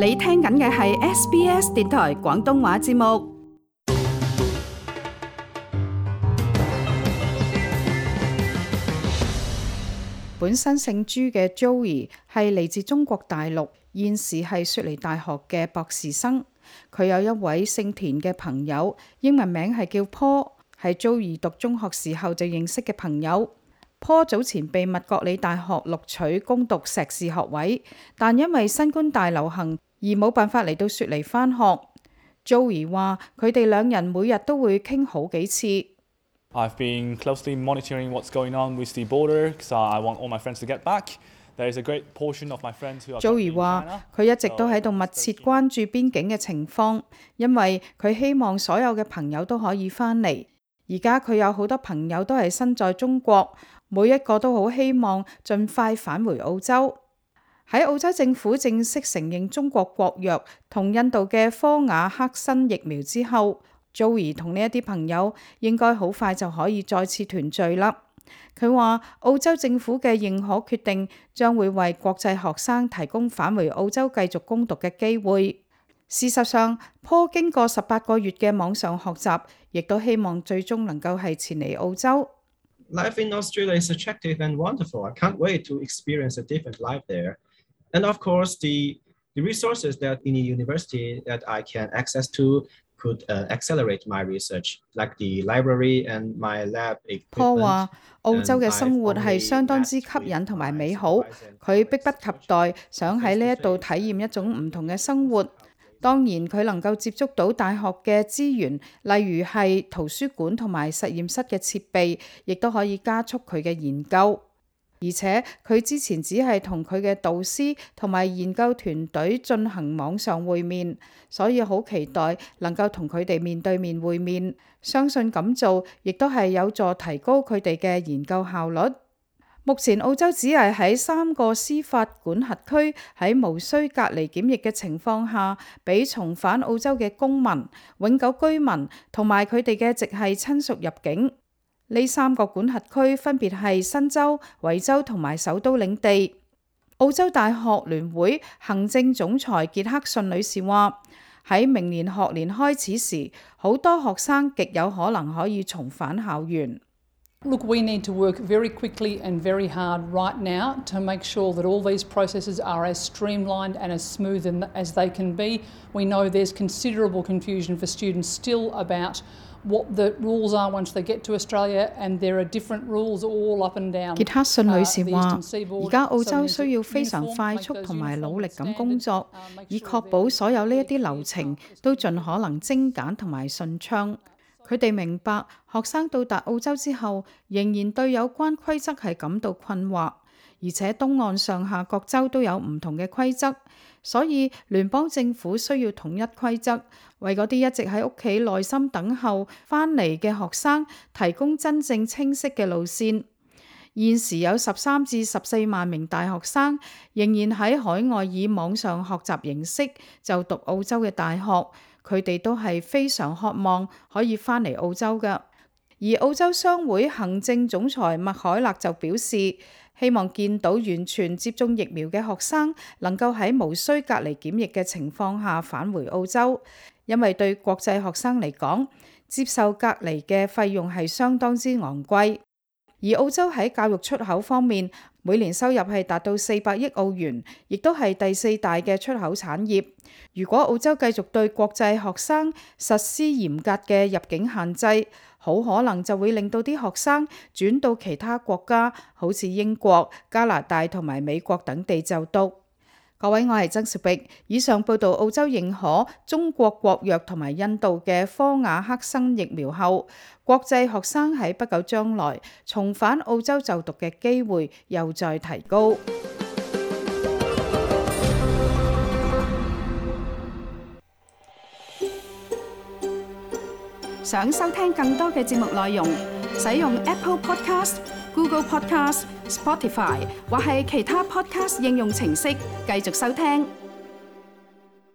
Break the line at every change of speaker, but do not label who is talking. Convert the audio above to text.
你聽緊嘅係 SBS 電台廣東話節目。本身姓朱嘅 Joey 係嚟自中國大陸，現時係雪梨大學嘅博士生。佢有一位姓田嘅朋友，英文名係叫 Paul， 係 Joey 讀中學時候就認識嘅朋友。Paul 早前被密覺里大學錄取攻讀碩士學位，但因為新冠大流行而冇辦法嚟到雪梨返學。Joey 話佢哋兩人每日都會傾好幾次。
I've been closely monitoring what's going on with the border, so I want all my friends to get back. There is a great portion of my friends who are
Joey 話佢一直都喺度密切關注邊境嘅情況，因為佢希望所有嘅朋友都可以返嚟。而家佢有好多朋友都係身在中國，每一個都好希望盡快返回澳洲。喺澳洲政府正式承認中國國藥同印度嘅科瓦克新疫苗之後，Joey 同呢一啲朋友應該好快就可以再次團聚啦。佢話澳洲政府嘅認可決定將會為國際學生提供返回澳洲繼續攻讀嘅機會。事實上，Paul 經過18個月嘅網上學習，亦都希望最終能夠係前嚟澳洲。
Life in Australia is attractive and wonderful. I can't wait to experience a different life there. And of course, the resources that in the university that I can access to could accelerate my research, like the library and my lab equipment.
Paul 話澳洲嘅生活係相當之吸引同埋美好，佢迫不及待想喺呢一度體驗一種唔同嘅生活。當然佢能夠接觸到大學嘅資源，例如係圖書館同埋實驗室嘅設備，亦都可以加速佢嘅研究。而且佢之前只係同佢嘅導師同埋研究團隊進行網上會面，所以好期待能夠同佢哋面對面會面。相信咁做亦都係有助提高佢哋嘅研究效率。目前澳洲只係喺3個司法管轄區喺無需隔離檢疫嘅情況下，俾重返澳洲嘅公民、永久居民同埋佢哋嘅直系親屬入境。呢3個管轄區分別係新州、維州同埋首都領地。澳洲大學聯會行政總裁傑克遜女士話：喺明年學年開始時，好多學生極有可能可以重返校園。
Look, we need to work very quickly and very hard right now to make sure that all these processes are as streamlined and as smooth as they can be. We know there's considerable confusion for students still about what the rules are once they get to Australia, and there are different rules all up and down.
傑克遜女士話：而家澳洲需要非常快速同埋努力咁工作，以確保所有呢一啲流程都盡可能精簡同埋順暢。佢哋明白學生到達澳洲之後，仍然對有關規則係感到困惑，而且東岸上下各州都有唔同嘅規則，所以聯邦政府需要統一規則，為嗰啲一直喺屋企耐心等候返嚟嘅學生提供真正清晰嘅路線。現時有13至14萬名大學生仍然喺海外以網上學習形式就讀澳洲嘅大學。佢哋都係非常渴望可以返嚟澳洲嘅。而澳洲商會行政總裁麥凱勒就表示，希望見到完全接種疫苗嘅學生能夠喺無需隔離檢疫嘅情況下返回澳洲，因為對國際學生嚟講，接受隔離嘅費用係相當之昂貴。而澳洲喺教育出口方面，每年收入係達到400億澳元，亦都係第4大嘅出口產業。如果澳洲繼續對國際學生實施嚴格嘅入境限制，好可能就會令到啲學生轉到其他國家，好似英國、加拿大同埋美國等地就讀。各位，我係曾兆碧。以上報道澳洲認可中國國藥同埋印度嘅科瓦克新疫苗後，國際學生喺不久將來重返澳洲就讀嘅機會又再提高。想收聽更多嘅節目內容，使用 Apple Podcast、Google Podcast、Spotify 或係其他 Podcast 應用程式繼續收聽。